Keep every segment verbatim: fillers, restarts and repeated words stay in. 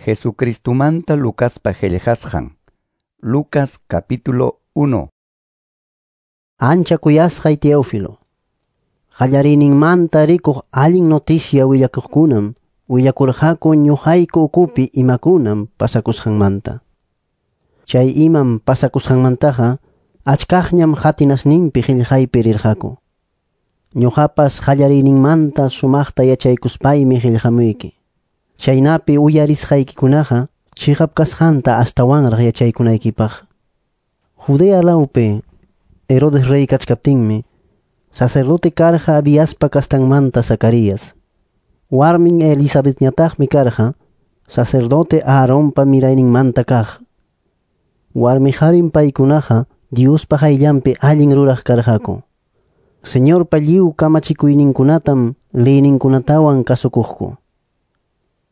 Jesucristumanta Lucaspa qillqasqan. Lucas capítulo uno. Ancha kuyasqay Teófilo. Qallariyninmanta rikuq allin noticia willakuqkunam willakurqaku ñuqayku ukupi imakunam pasakusqanmanta. Chay imam pasakusqanmantaqa achkaqñam qatinasninpi qillqaypi rirqaku. Ñuqapas qallariyninmanta sumaqta yachaykuspaymi qillqamuyki. Chaynapi uyarisqaykikunaqa chiqap kasqanta astawanraq yachaykunaykipaq. Judea lawpi Herodes rey kachkaptinmi sacerdote karqa Abiaspa kastanmanta Zacarías. Warmin Elisabetñataqmi karqa sacerdote Aaronpa mirayninmanta kaq. Warmi qarin paykunaqa Diospa qayllanpi allin ruraq karqaku. Señorpa lliw kamachikuyninkunatam leyninkunatawan kasukuqku.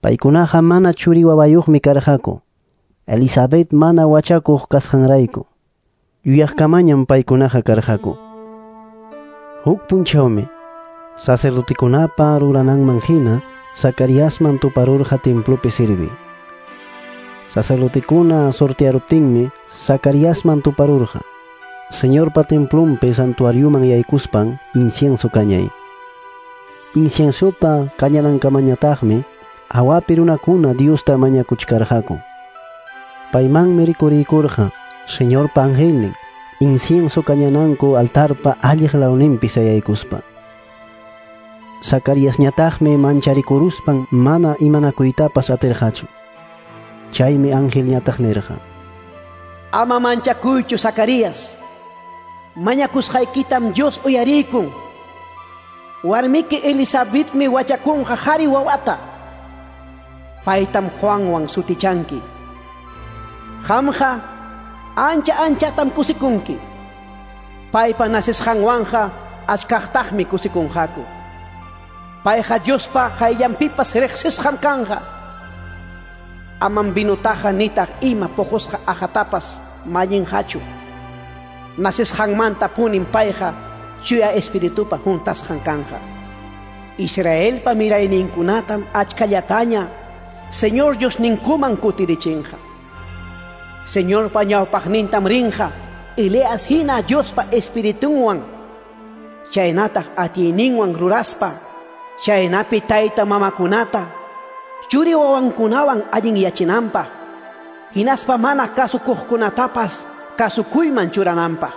Paykunaqa mana churi wawayuqmi karqaku. Elisabet mana wachakuq kasqanrayku. Yuyaqkamañam paykunaqa karqaku. Huk punchawmi sacerdotekunapa rurananman hina Zacariasman tuparurqa templopi sirvi. Sacerdotekuna sortearuptinmi Zacariasman tuparurqa. Señorpa templonpi santuarioman yaykuspan incienso kañay. Inciensota kañanankamañataqmi hawapi runakuna Diosta mañakuchkarqaku. Paymanmi rikuriykurqa Señorpa angelnin incienso kañananku altarpa alliq lawninpi sayaykuspa. Zacariasñataqmi mancharikuruspan mana imanakuytapas atirqachu. Chaymi angelñataq nirqa: Ama manchakuychu, Zacarías. Mañakusqaykitam Dios uyarikun. Warmiki Elisabetmi wachakunqa qhari wawata. Paytam Juanwan sutichanki. Qamqa ancha anchatam kusikunki. Paypa nasisqanwanqa achkaqtaqmi kusikunqaku. Payqa Diospa qayllanpipas riqsisqam kanqa. Amam vinutaqa nitaq ima puqusqa aqhatapas mallinqachu. Nasisqanmanta punin payqa chuya espiritupa juntasqan kanqa. Israelpa mirayninkunatam achkallataña Señor Diosninkuman kutirichinqa. Señorpa ñawpaqnintam rinqa Elías hina Diospa espiritunwan chaynataq atiyninwan ruraspa chaynapi tayta mamakunata churi wawankunawan allinyachinanpaq hinaspa mana kasukuqkunatapas kasukuyman churananpaq.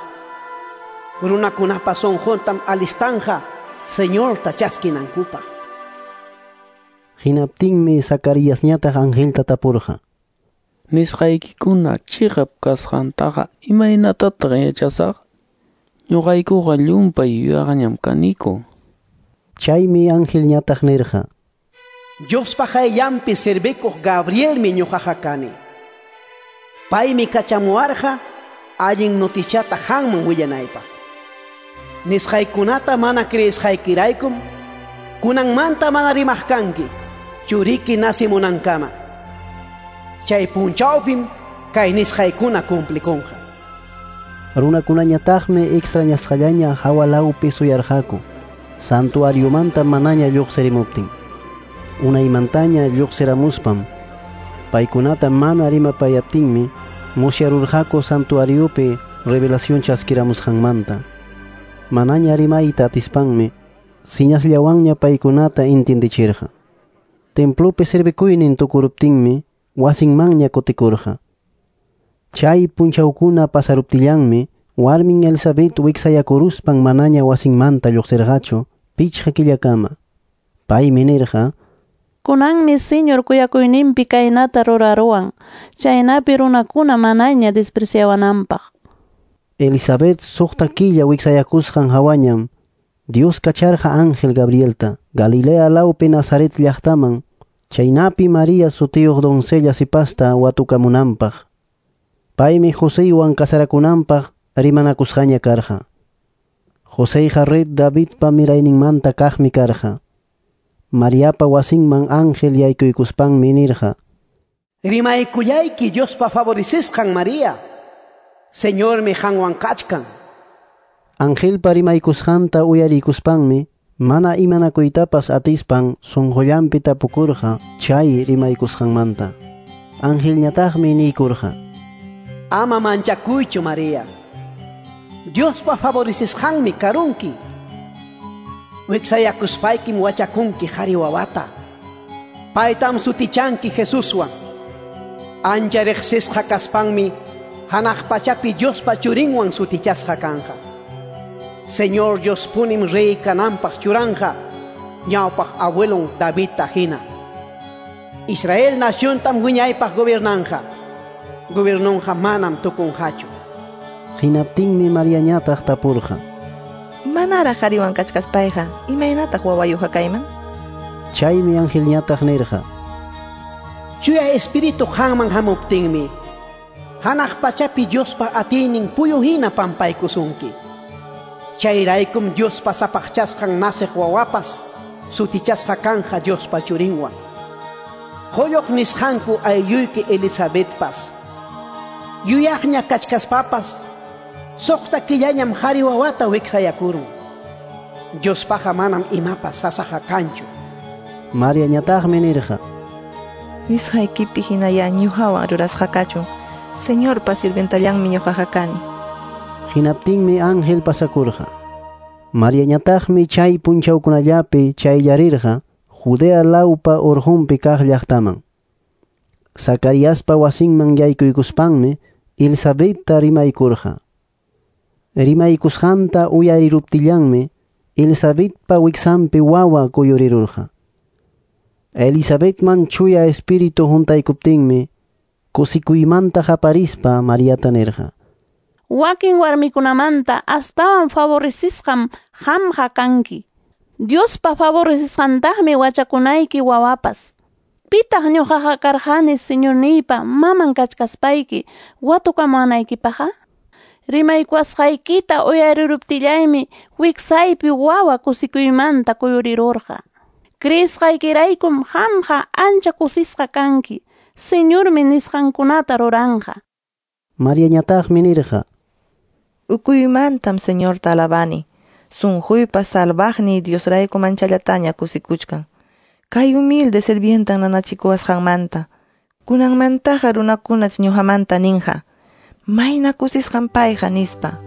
Runakunapa sunquntam alistanja Señorta chaskinankupaq. Hinaptinmi Zacariasñataq angelta tapurqa: Nisqaykikuna chiqap kasqantaqa imaynatataq yachasaq? Ñuqaykuqa llumpay yuyaqñam kaniku. Chaymi angelñataq nirqa: Diospa qayllanpi servikuq Gabrielmi ñuqaqa kani. Paymi kachamuwarqa allin noticiata qanman willanaypaq. Nisqaykunata mana creesqaykiraykum kunanmanta mana rimaq kanki churiki nasimunankama. Chay punchawpim kay nisqaykuna cumplikunqa. Runakunañataqmi extrañasqallaña hawa lawpi suyarqaku santuariomanta manaña lluqsirimuptin. Unaymantaña lluqsiramuspam paykunata mana rimapayaptinmi musyarurqaku santuariopi revelación chaskiramusqanmanta. Manaña rimayta atispanmi siñasllawanña paykunata intindichirqa. Templopi servikuynin tukuruptinmi wasinmanña kutikurqa. Chay punchawkuna pasaruptillanmi warmin Elisabet wiksayakuruspan manaña wasinmanta lluqsirqachu pichqa killakama. Paymi nirqa: Kunanmi Señor kuyakuyninpi kaynata ruraruwan, chaynapi runakuna manaña despreciawananpaq. Elisabet suqta killa wiksayakusqan hawañam Dios kacharqa ángel Gabrielta Galilea lawpi Nazaret llaqtaman, chaynapi María sutiyuq doncella sipasta watukamunanpaq. Paymi Joseywan kasarakunanpaq rimanakusqaña karqa. Joseyqa rey Davidpa mirayninmanta kaqmi karqa. Mariapa wasinman ángel yaykuykuspanmi nirqa: Rimaykullayki Diospa favorecisqan María. Señormi qanwan kachkan. Angelpa rimaykusqanta uyarikuspanmi mana imanakuytapas atispan sunqullanpi tapukurqa chay rimaykusqanmanta. Angelñataqmi niykurqa: Ama manchakuychu, María. Diospa favorecisqanmi karunki. Wiksayakuspaykim wachakunki qhari wawata. Paytam sutichanki Jesuswan. Ancha riqsisqa kaspanmi hanaq pachapi Diospa churinwan sutichasqa kanqa. Señor Diospunim rey kananpaq churanja, ñawpaq abuelon Davidta hina. Israel naciontam wiñaypaq gobernanja. Gobernonja manam tukunqachu. Hinaptinmi Mariañataq tapurqa: Manaraq qhariwan kachkaspayqa, imaynataq wawayuqa kayman? Chaymi angelñataq nirqa: Chuya Espíritu qanman hamuptinmi, hanaq pachapi Diospa atiynin puyu hina pampaykusunki. Chayraykum Diospa sapaqchasqan nasiq wawapas sutichasqa kanja Diospa churinwan. Qulluq nisqanku aylluyki Elizabethpas yuyaqña kachkaspapas suqta killañam qhari wawata wiksayakurun. Diospaqa manam imapas sasaqa kanchu. Mariañataqmi nirqa: Nisqaykipi hinaya ñuqawan rurasqa kachun. Señorpa sirvientallanmi ñuqaqa kani. Hinaptinmi ángel pasakurqa. Mariañataqmi chay punchawkunallapi chayllarirqa Judea lawpa urqunpi kaq llaqtaman. Zacariaspa wasinman yaykuykuspanmi Elisabetta rimaykurqa. Rimaykusqanta uyariruptillanmi Elisabetpa wiksanpi wawa kuyurirurqa. Elisabetman chuya espíritu huntaykuptinmi kusikuymanta qaparispa Mariata nirqa: Wakin warmikunamanta astawan favorecisqam qamqa kanki. Diospa favorecisqantaqmi wachakunayki wawapas. Pitaq ñuqaqa karqani Señorniypa maman kachkaspayki watukamuwanaykipaqqa? Rimaykuwasqaykita uyariruptillaymi wiksaypi wawa kusikuymanta kuyurirurqa. Creesqaykiraykum qamqa ancha kusisqa kanki. Señormi nisqankunata ruranqa. Mariañataqmi nirqa: Ukuymantam Señorta alabani. Sunquypa salvaqniy Diosrayku manchallataña kusikuchkan. Kay humilde sirvientan nanachikuwasqanmanta. Kunanmantaqa runakunach ñuqamanta ninqa: Mayna kusisqan payqa nispa.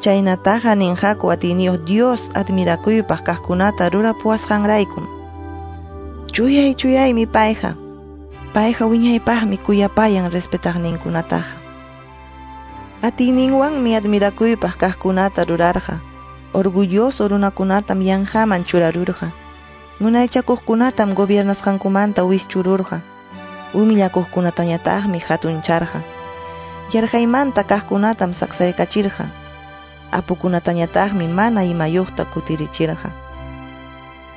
Chaynataqa ninqaku atiyniyuq Dios admirakuypaq kaqkunata rurapuwasqanraykum. Chuyay chuyaymi payqa. Payqa wiñaypaqmi kuyapayan respetaqninkunataqa. Atiyninwanmi admirakuypaq kaqkunata rurarqa. Orgulloso runakunatam yanqaman churarurqa. Munaychakuqkunatam gobiernasqankumanta wischururqa. Humillakuqkunatañataqmi hatuncharqa. Yarqaymanta kaqkunatam saksaykachirqa. Apukunatañataqmi mana imayuqta kutirichirqa.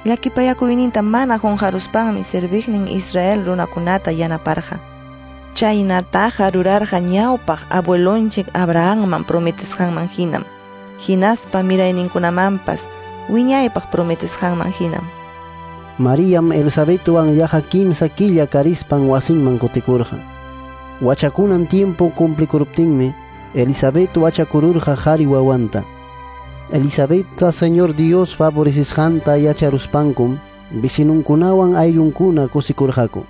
Llakipayakuyninta mana qunqaruspanmi serviqnin Israel runakunata yanaparqa. Chaynataqa rurarqa ñawpaq abuelonchik Abrahamman prometesqanman hinam. Hinaspa mirayninkunamanpas wiñaypaq prometesqanman hinam. Mariam Elisabetwan yaqa kimsa killa karispan wasinman kutikurqa. Wachakunan tiempo cumplikuruptinmi Elisabet wachakururqa qhari wawanta. Elisabetta Señor Dios favorecisqanta yacharuspankum vecinunkunawan ayllunkuna kusikurqaku.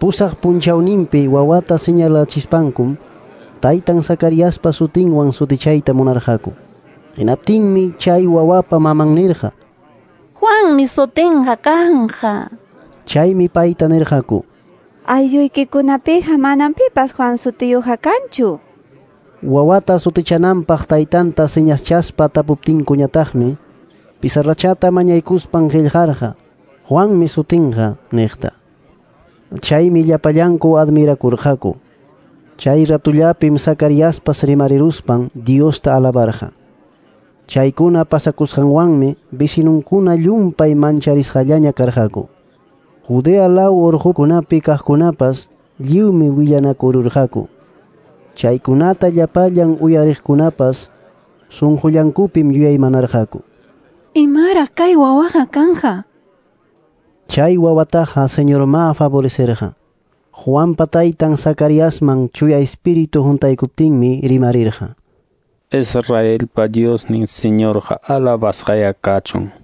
Pusaq punchawninpi wawata señalachispankum taytan Zacariaspa sutinwan sutichayta munarqaku. Hinaptinmi chay wawapa maman nirqa: Juanmi sutinqa kanqa. Chaymi payta nirqaku: Aylluykikunapiqa manam pipas Juan sutiyuqqa kanchu. Wawata sutichananpaq taytanta señaschaspa tapuptinkuñataqmi pizarrachata mañaykuspan qillqarqa Juanmi sutinqa niqta. Chaymi llapallanku admirakurqaku. Chay ratullapim Zacariaspas rimariruspan Diosta alabarqa. Chaykuna pasakusqanwanmi vecinunkuna llumpay mancharisqallaña karqaku. Judea law urqukunapi kaqkunapas lliwmi willanakururqaku. Chaykunata llapallan uyariqkunapas sunqullankupim yuyaymanarqaku. Imaraq kay wawaqa kanja? Chay wawataqa Señorma favorecerqa. Juanpa taytan Zacariasman chuya espíritu huntaykuptinmi rimarirqa. Israelpa Diosnin Señorqa alabasqaya kachun.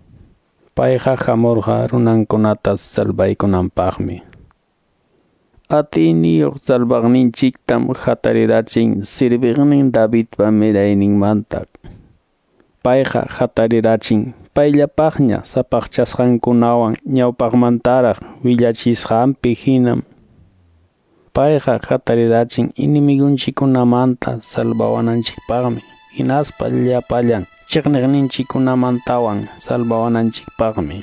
Payqa hamurqa runankunata salvaykunanpaqmi. Atiyniyuq salvaqninchiktam hatarirachin serviqnin Davidpa mirayninmanta. Payqa hatarirachin payllapaqña sapaqchasqankunawan ñawpaqmantaraq willachisqanpi hinam. Payqa hatarirachin enemigunchikkunamanta salvawananchikpaqmi, hinaspa llapallan chiqniqninchikkunamantawan salvawananchikpaqmi.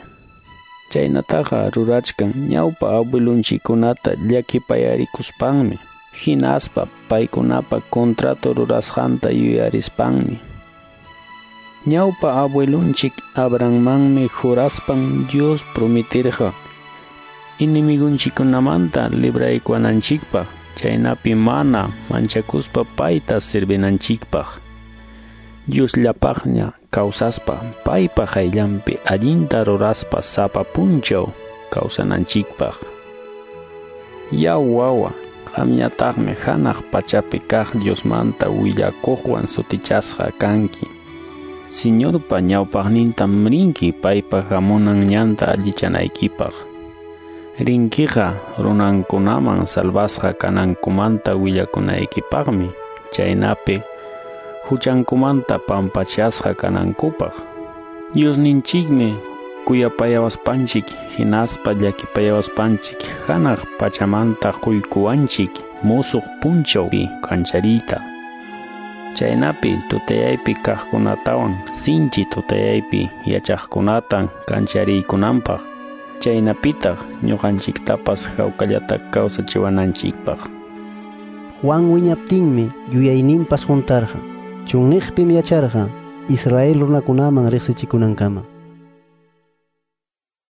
Chaynataqa rurachkan ñawpa abuelunchikkunata llakipayarikuspanmi, hinaspa paykunapa contrato rurasqanta yuyarispanmi. Ñawpa abuelunchik Abrahammanmi juraspan Dios prometirqa enemigunchikkunamanta libraykuwananchikpaq, chaynapi mana manchakuspa payta servinanchikpaq. Diosllapaqña kawsaspa paypa qayllanpi allinta ruraspa sapa punchaw kawsananchikpaq. Yaw wawa, qamñataqmi hanaq pachapi kaq Diosmanta willakuqwan sutichasqa kanki. Señorpa ñawpaqnintam rinki paypa hamunan ñanta allichanaykipaq. Rinkiqa runankunaman salvasqa kanankumanta willakunaykipaqmi, chaynapi huchankumanta pampachasqa kanankupaq. Diosninchikmi kuyapayawaspanchik hinaspa llakipayawaspanchik hanaq pachamanta quykuwanchik musuq punchawpi kanchariyta. Chaynapi tutayaypi kaqkunatawan sinchi tutayaypi yachaqkunatan kanchariykunanpaq. Chaynapitaq ñuqanchiktapas hawkallata kawsachiwananchikpaq. Juan wiñaptinmi yuyayninpas huntarqa. Chunniqpim yacharqa Israel runakunaman riqsichikunankama.